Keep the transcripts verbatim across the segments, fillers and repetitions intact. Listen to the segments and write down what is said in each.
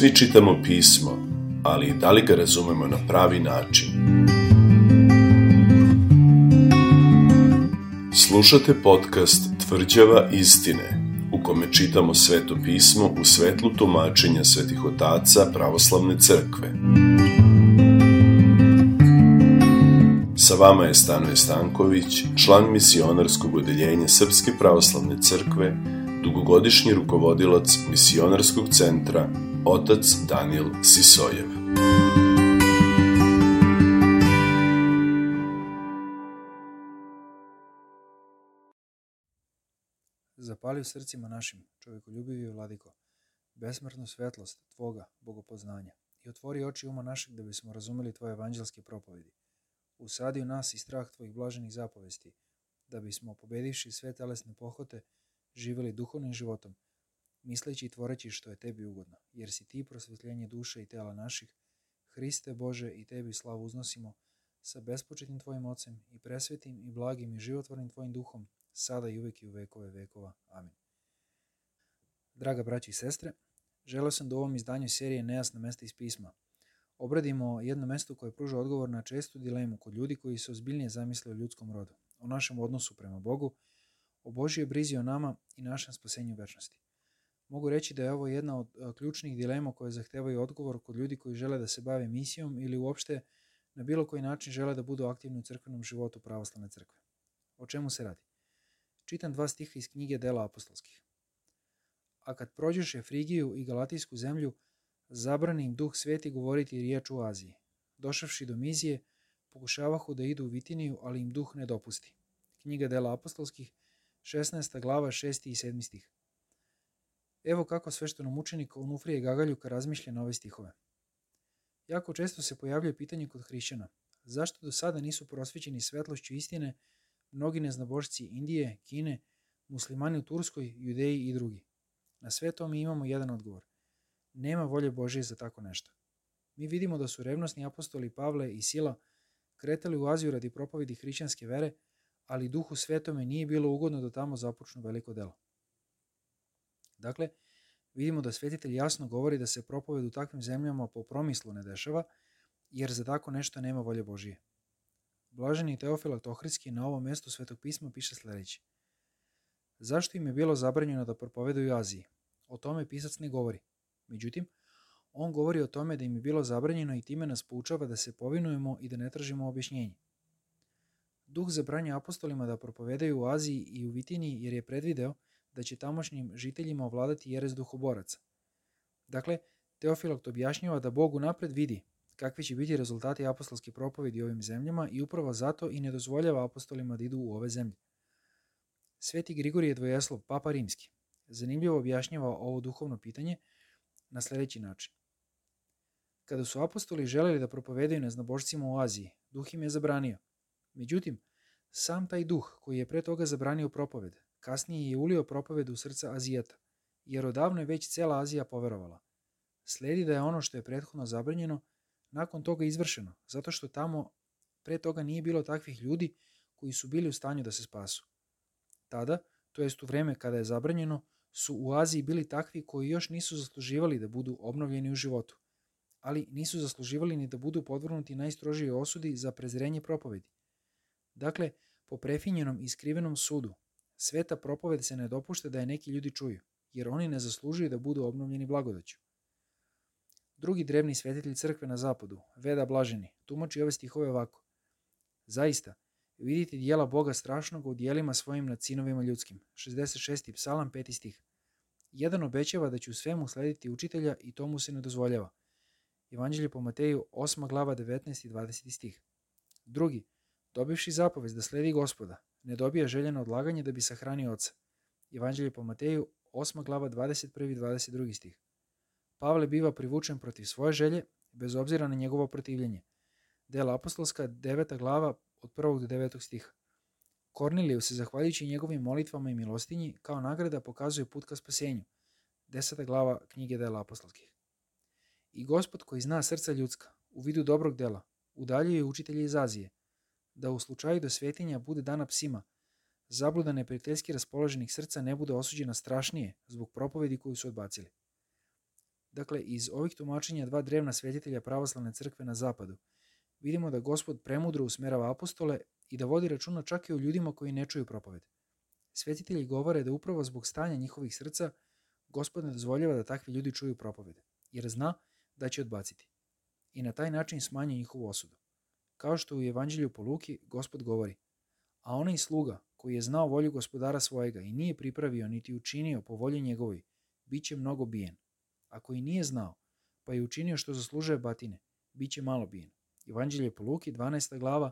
Svi čitamo pismo, ali da li ga razumemo na pravi način? Slušate podcast Tvrđava istine, u kome čitamo Sveto pismo u svetlu tumačenja svetih otaca pravoslavne crkve. Sa vama je Stanoje Stanković, član misionarskog odeljenja Srpske pravoslavne crkve, dugogodišnji rukovodilac misionarskog centra, otac Danijel Sisojev. Zapali u srcima našim, čovjekoljubivi vladiko, besmrtnu svetlost Tvoga bogopoznanja i otvori oči uma našeg da bismo razumeli Tvoje evanđelske propovedi. Usadi u nas i strah Tvojih blaženih zapovesti, da bismo, pobedivši sve telesne pohote, živjeli duhovnim životom, misleći i tvoreći što je Tebi ugodno, jer si Ti prosvjetljenje duše i tela naših, Hriste Bože, i Tebi slavu uznosimo sa bespočetnim Tvojim Ocem i presvetim i blagim i životvornim Tvojim duhom, sada i uvijek i u vekove vekova. Amin. Draga braći i sestre, želeo sam da u ovom izdanju serije Nejasna mesta iz pisma obradimo jedno mesto koje pruža odgovor na čestu dilemu kod ljudi koji se ozbiljnije zamisle o ljudskom rodu, o našem odnosu prema Bogu, o Božjoj brizi o nama i našem spasenju večnosti. Mogu reći da je ovo jedna od ključnih dilema koje zahtevaju odgovor kod ljudi koji žele da se bave misijom ili uopšte na bilo koji način žele da budu aktivni u crkvenom životu pravoslavne crkve. O čemu se radi? Čitam dva stiha iz knjige Dela apostolskih. A kad prođeše Frigiju i Galatijsku zemlju, zabrani im Duh Sveti govoriti riječ u Aziji. Došavši do Mizije, pokušavahu da idu u Vitiniju, ali im Duh ne dopusti. Knjiga Dela apostolskih, šesnaesta glava, šesti i sedmi stih. Evo kako sveštenomučenik Onufrije Gagaljuka razmišlja na ove stihove. Jako često se pojavljuje pitanje kod hrišćana, zašto do sada nisu prosvećeni svetlošću istine mnogi neznabošci Indije, Kine, muslimani u Turskoj, Judeji i drugi. Na sve to mi imamo jedan odgovor. Nema volje Božje za tako nešto. Mi vidimo da su revnosni apostoli Pavle i Sila kretali u Aziju radi propovedi hrišćanske vere, ali Duhu Svetome nije bilo ugodno da tamo započnu veliko delo. Dakle, vidimo da svetitelj jasno govori da se propoved u takvim zemljama po promislu ne dešava, jer za tako nešto nema volje Božije. Blaženi Teofilat Ohridski na ovom mjestu Svetog pisma piše sljedeće. Zašto im je bilo zabranjeno da propovedaju u Aziji? O tome pisac ne govori. Međutim, on govori o tome da im je bilo zabranjeno i time nas poučava da se povinujemo i da ne tražimo objašnjenje. Duh zabranja apostolima da propovedaju u Aziji i u Vitiniji jer je predvideo da će tamošnjim žiteljima ovladati jeres duhoboraca. Dakle, Teofilat objašnjava da Bog unapred vidi kakvi će biti rezultati apostolske propovedi u ovim zemljama i upravo zato i ne dozvoljava apostolima da idu u ove zemlje. Sveti Grigorije Dvojeslov, papa rimski, zanimljivo objašnjava ovo duhovno pitanje na sljedeći način. Kada su apostoli želeli da propovedaju neznabošcima u Aziji, Duh im je zabranio. Međutim, sam taj Duh koji je pre toga zabranio propoved, kasnije je ulio propoved u srca Azijata, jer odavno je već cela Azija poverovala. Slijedi da je ono što je prethodno zabranjeno nakon toga izvršeno, zato što tamo pre toga nije bilo takvih ljudi koji su bili u stanju da se spasu. Tada, to jest u vreme kada je zabranjeno, su u Aziji bili takvi koji još nisu zasluživali da budu obnovljeni u životu, ali nisu zasluživali ni da budu podvrgnuti najstrožijoj osudi za prezrenje propovedi. Dakle, po prefinjenom i skrivenom sudu, sveta propoved se ne dopušta da je neki ljudi čuju, jer oni ne zaslužuju da budu obnovljeni blagodaću. Drugi drevni svetitelj crkve na zapadu, Veda Blaženi, tumači ove stihove ovako. Zaista, vidite dijela Boga strašnog u dijelima svojim nad sinovima ljudskim. šezdeset šesti psalam, peti stih. Jedan obećava da će u svemu slediti učitelja i to mu se ne dozvoljava. Evanđelje po Mateju, osma glava, devetnaesti i dvadeseti stih. Drugi, dobivši zapovest da sledi Gospoda, ne dobija željeno odlaganje da bi sahranio oca. Evanđelje po Mateju, osma glava, dvadeset prvi i dvadeset drugi stih. Pavle biva privučen protiv svoje želje, bez obzira na njegovo protivljenje. Dela apostolska, deveta glava, od prvog do devetog stiha. Korniliju se, zahvaljujući njegovim molitvama i milostinji, kao nagrada pokazuje put ka spasenju. Deseta glava knjige Dela apostolskih. I Gospod koji zna srca ljudska, u vidu dobrog dela, udaljuje učitelje iz Azije, da u slučaju do svetinja bude dana psima, zabluda neprijateljski raspoloženih srca ne bude osuđena strašnije zbog propovedi koju su odbacili. Dakle, iz ovih tumačenja dva drevna svetitelja pravoslavne crkve na zapadu vidimo da Gospod premudro usmerava apostole i da vodi računa čak i o ljudima koji ne čuju propoved. Svetitelji govore da upravo zbog stanja njihovih srca Gospod ne dozvoljava da takvi ljudi čuju propovede, jer zna da će odbaciti. I na taj način smanjuje njihovu osudu. Kao što u Evanđelju po Luki Gospod govori: a onaj sluga koji je znao volju gospodara svojega i nije pripravio niti učinio po volji njegovoj, bit će mnogo bijen. Ako i nije znao, pa je učinio što zaslužuje batine, bit će malo bijen. Evanđelje po Luki, dvanaesta glava,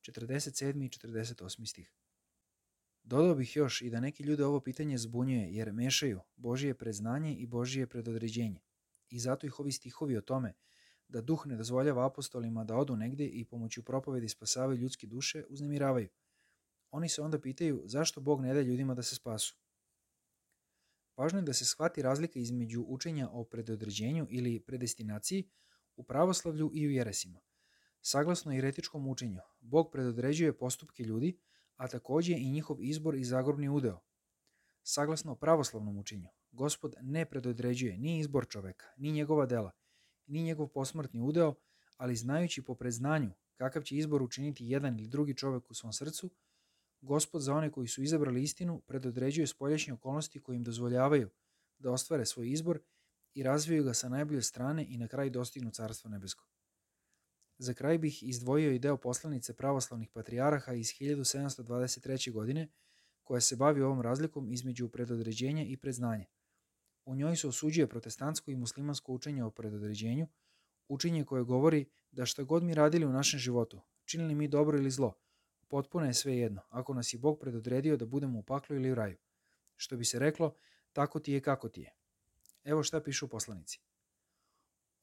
četrdeset sedmi i četrdeset osmi stih. Dodao bih još i da neki ljude ovo pitanje zbunjuje jer mešaju Božije predznanje i Božije predodređenje. I zato ih ovi stihovi o tome da duh ne dozvoljava apostolima da odu negdje i pomoću propovedi spasavaju ljudske duše uznemiravaju. Oni se onda pitaju zašto Bog ne da ljudima da se spasu. Važno je da se shvati razlika između učenja o predodređenju ili predestinaciji u pravoslavlju i u jeresima. Saglasno jeretičkom učenju, Bog predodređuje postupke ljudi, a također i njihov izbor i zagrobni udeo. Saglasno pravoslavnom učenju, Gospod ne predodređuje ni izbor čoveka, ni njegova dela, ni njegov posmrtni udeo, ali znajući po predznanju kakav će izbor učiniti jedan ili drugi čovek u svom srcu, Gospod za one koji su izabrali istinu predodređuje spoljašnje okolnosti koje im dozvoljavaju da ostvare svoj izbor i razviju ga sa najbolje strane i na kraj dostignu Carstvo nebesko. Za kraj bih izdvojio i deo poslanice pravoslavnih patrijaraha iz hiljadu sedamsto dvadeset treće. godine, koja se bavi ovom razlikom između predodređenja i predznanja. U njoj se osuđuje protestantsko i muslimansko učenje o predodređenju, učenje koje govori da šta god mi radili u našem životu, činili mi dobro ili zlo, potpuno je sve jedno, ako nas je Bog predodredio da budemo u paklu ili u raju. Što bi se reklo, tako ti je kako ti je. Evo šta piše u poslanici.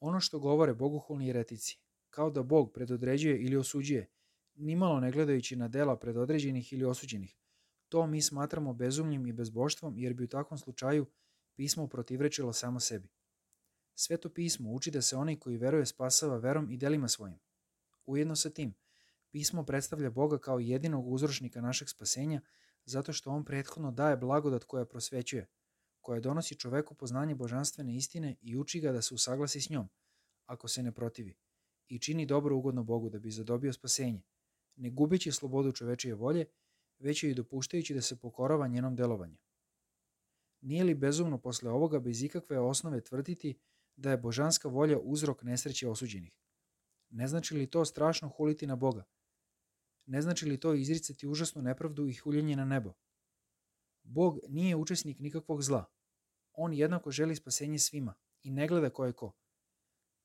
Ono što govore bogohulni jeretici, kao da Bog predodređuje ili osuđuje, nimalo ne gledajući na dela predodređenih ili osuđenih, to mi smatramo bezumljem i bezboštvom, jer bi u takvom slučaju pismo protivrečilo samo sebi. Sveto pismo uči da se onaj koji veruje spasava verom i delima svojim. Ujedno sa tim, pismo predstavlja Boga kao jedinog uzročnika našeg spasenja, zato što on prethodno daje blagodat koja prosvećuje, koja donosi čoveku poznanje božanstvene istine i uči ga da se usaglasi s njom, ako se ne protivi, i čini dobro ugodno Bogu da bi zadobio spasenje, ne gubeći slobodu čovečije volje, već joj dopuštajući da se pokorava njenom delovanju. Nije li bezumno posle ovoga bez ikakve osnove tvrditi da je božanska volja uzrok nesreće osuđenih? Ne znači li to strašno huliti na Boga? Ne znači li to izricati užasnu nepravdu i huljenje na nebo? Bog nije učesnik nikakvog zla. On jednako želi spasenje svima i ne gleda ko je ko.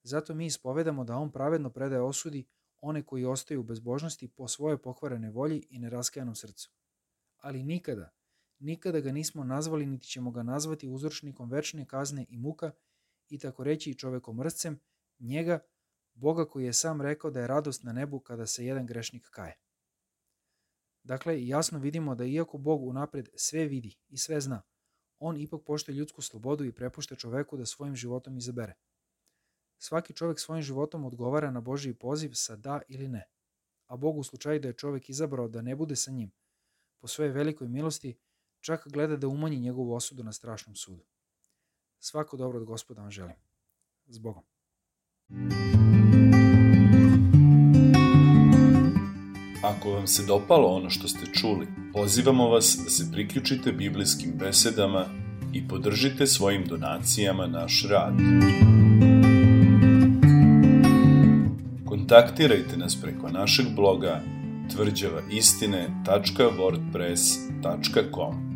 Zato mi ispovedamo da on pravedno predaje osudi one koji ostaju u bezbožnosti po svojoj pokvarenoj volji i neraskajanom srcu. Ali nikada, nikada ga nismo nazvali niti ćemo ga nazvati uzročnikom večne kazne i muka i tako reći čovekomrscem, njega, Boga koji je sam rekao da je radost na nebu kada se jedan grešnik kaje. Dakle, jasno vidimo da iako Bog unapred sve vidi i sve zna, on ipak poštuje ljudsku slobodu i prepušta čoveku da svojim životom izabere. Svaki čovjek svojim životom odgovara na Božji poziv sa da ili ne, a Bog u slučaju da je čovjek izabrao da ne bude sa njim, po svojoj velikoj milosti, čak gleda da umanji njegovu osudu na strašnom sudu. Svako dobro od Gospoda vam želim. S Bogom. Ako vam se dopalo ono što ste čuli, pozivamo vas da se priključite biblijskim besedama i podržite svojim donacijama naš rad. Kontaktirajte nas preko našeg bloga tvrđava istine tačka wordpress tačka com.